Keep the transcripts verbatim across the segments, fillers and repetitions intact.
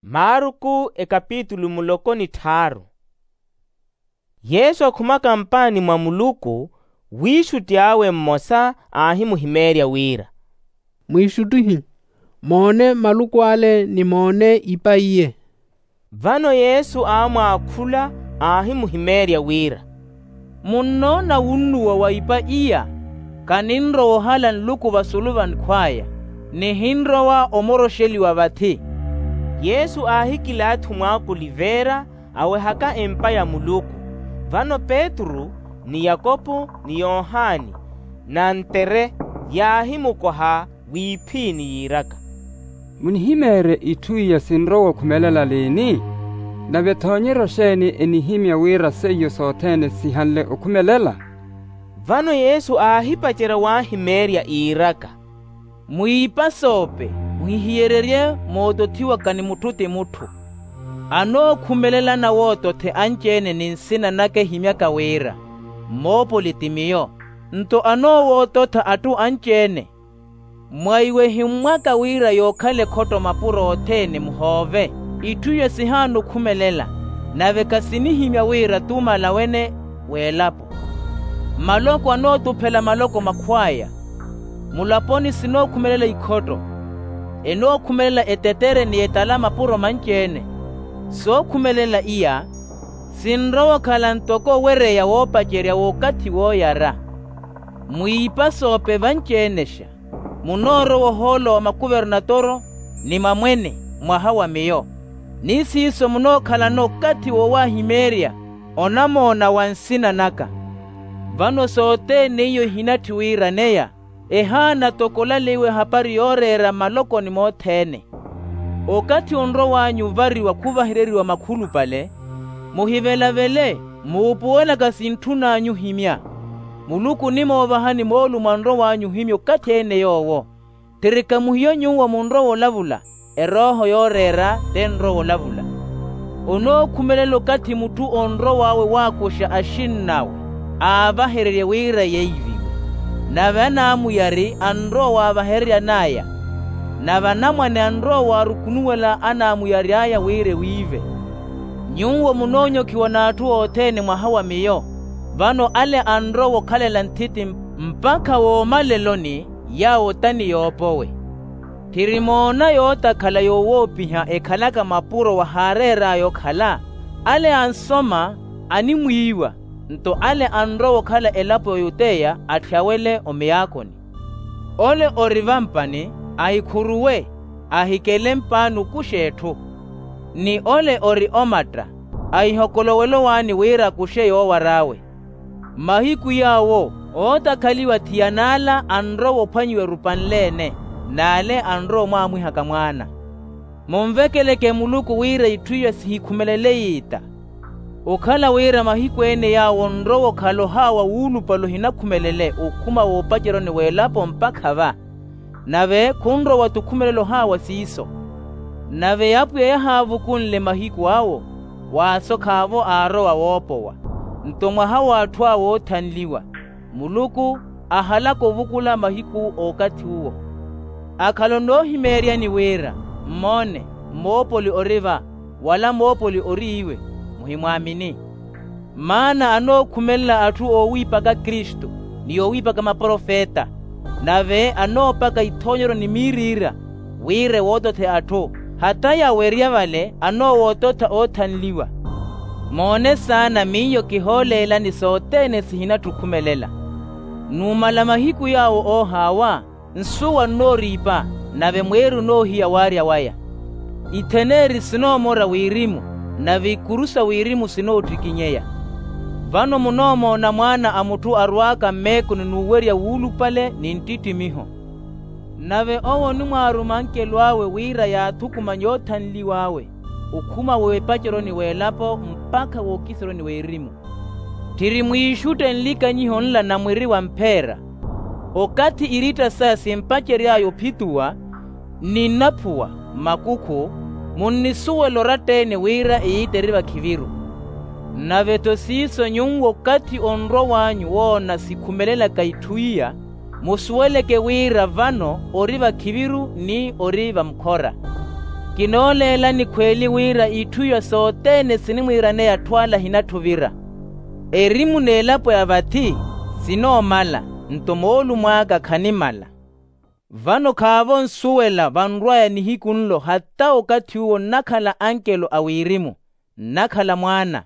Marku ekapitulu muloko ni tthaaru. Yesu akhumaka mpaani mwa muluku, wiixutti awe mmosa aahimuhimeerya wira, mwiixuttihi, moone maluku ale ni moone ipa iye. Vano yesu aamwaakhula, aahimuhimeerya wira, munnoona wunnuwa wa ipa iya? Kaninrowa ohala nluku vasulu vankhw'aya, nihinrowa omoroxeliwa vathi. Yesu aahikilaathi omwaaka oliveera, awehaka empa ya muluku. Vano petru, ni yakopo, ni yohani, na antere, yaahimukoha wiiphiini yiiraka, munihimeerye itthu iya sinrowa okhumelela liini? Nave thoonyeryo xeeni enihimya wira seiyo sothene sihanle okhumelela? Vano yesu aahipacerya waahimeerya iiraka, mwiipa soope, muhihiyererye mootothiwaka ni mutthu ti mutthu. Anookhumelela anawootothe anci-ene ni nsina naka ehimyaka wira, mmoopoli ti miyo. Nto anoowoototha atthu anci-ene. Mwa iwe ehimmwaka wira yookhala ekhotto mapuro othene muhoove. Itthu iyo sihaana okhumelela, nave khasinihimya wira t'umala wene w'elapo. Maloko anootuphela maloko makhw'aya. Mulaponi sinookhumelela ikhotto, enookhumelela etetere ni etala mapuro manci-ene. Sookhumelela iya, sinrowa okhala ntoko owereya woopacerya w'okathi wooyara. Mwiipa soope vanci-enexa, munoorowa ohoolo wa makuvernatoro ni mamwene mwaha wa miyo. Ni siiso munookhalana okathi woowahimeerya onamoona wa nsina naka. Vano sothene iyo ehinatthi wiiraneya, ehaana toko olaleyiwa ehapari yooreera malokoni mothene. Okathi onrow'anyu ovariwa khuvahereriwa makhulupale, muhivelavele, muupuwelaka sintthun'anyu ohimya. Muluku onimoovahani moolumo anrow'anyu ohimya okathi-ene yoowo. Tthirika muhiyo nyuwo munrowa olavula, erooho yooreera t'enrowa olavula. Onookhumelela okathi mutthu onrow'awe waakuxa axinn'awe, aavahererye wira yeiviwe. Nave anaamuyari anrowa waavahereryan'aya, nave anamwane anrowa waarukunuwela anaamuyari'aya wira ewiive. Nyuwo munoonyokhiwa n'atthu othene mwaha wa miyo, vano ale anrowa okhalela nthiti mpakha woomaleloni, yaawo t'ani yoopowe. Tthiri moona yootakhala yoowoopiha ekhalaka mapuro wahaareer'aya okhala, ale ansoma animwiiwa, nto ale anrowa okhala elapo ya oyuteya atthyawele omiyaakoni. Ole ori vampani, ahikhuruwe, ahikele mpaani okuxa etthu, ni ole ori omatta, ahihokolowela owaani wira akuxe yoowar'awe. Mahiku yaawo ootakhaliwa thiyana ala anrowa ophwanyiwa erupa nle-ene, n'ale anrowa omwaamwihaka mwaana. Munvekeleke muluku wira itthu iyo sihikhumelele yiita. Okhala wira mahiku-ene yaawo onrowa okhala ohaawa wuulupale ohinakhumelele okhuma woopaceryoni w'elapo mpakha va, nave khunrowa-tho okhumelela ohaawa siiso. Nave apwiya yahaavukunle mahiku awo, waasokh'avo aarowa woopowa. Nto mwaha w'atthu awo oothanliwa, muluku ahalaka ovukula mahiku a okathi uwo. Akhala onoohimeeryani wira, mmoone, moopoli ori va, wala moopoli ori iwe, muhimwaamini. Maana anookhumelela atthu oowiipaka kristu, ni oowiipaka maprofeta, nave anoopaka ithoonyeryo ni miiriira, wira ewootothe atthu, hata yawerya vale anoowoototha oothanliwa. Moone saana miyo kihooleelani sothene sihinatthi okhumelela. Numala mahiku yaawo oohaawa, nsuwa nnooriipa, nave mweeri onoohiya waarya waya. Itheneeri sinoomora wirimu, nave ikuru sa wirimu sinoottikinyeya. Vano munoomoona mwaana a mutthu arwaaka mmeekoni n'uwerya wuulupale ni nttittimiho. Nave owo onimwaaruma ankelo awe wira yaathukumanye oothanliw'awe, okhuma w'epaceryoni w'elapo mpakha w'okiseryoni w'erimu. Tthiri mwiixutte nlikanyiho nla na mwiri wa mpheera. Okathi iritta saya simpacery'aya ophituwa, nninnaphuwa, makukhu, munnisuwela oratta-ene wira eyiita eri vakhiviru. Nave-tho siiso nyuwo okathi onrow'anyu woona sikhumelelaka itthu iya, musuweleke wira vano ori vakhiviru ni ori vamukhora. Kinooleelani khweeli wira itthu iya sothene sinimwiiraneya atthu ale ahinatthu ovira. Erimu n'elapo ya vathi sinoomala, nto moolumo aka khanimala. Vano khaavo nsuwela vanrw'aya nihiku nlo hata okathi uwo nnakhala ankelo a wirimu, nnakhala mwaana.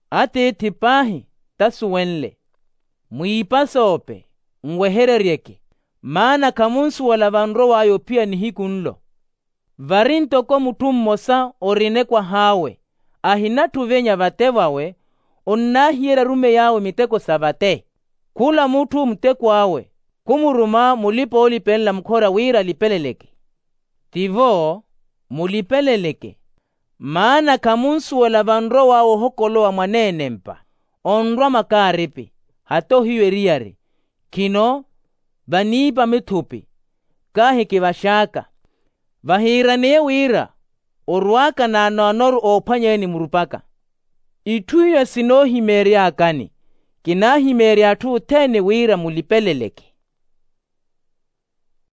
Atiithi paahi t'asuwenle. Mwiipasoope, nwehereryeke, maana khamunsuwela vanrow'aya ophiya nihiku nlo. Vari ntoko mutthu mmosa orina ekwah'awe, ahinatthu ovenya vate vawe, onnaahiyerya arumeyi awe miteko sa vate. Khula mutthu muteko awe khumuruma mulipa-oolipelela mukhora wira alipeleleke. Tivo, mulipeleleke, maana khamunsuwela vanrow'awe ohokolowa mwaneenempa, onrwa makaaripi, hata ohiyu eriyari. Khino, vaniipa mithupi, kaahi kivax'aka. Vahiiraneye wira orw'aka naanoanoru oophwanyeyani murupaka. Itthu iya sinoohimeery'akani, kinaahimeerya atthu othene wira mulipeleleke.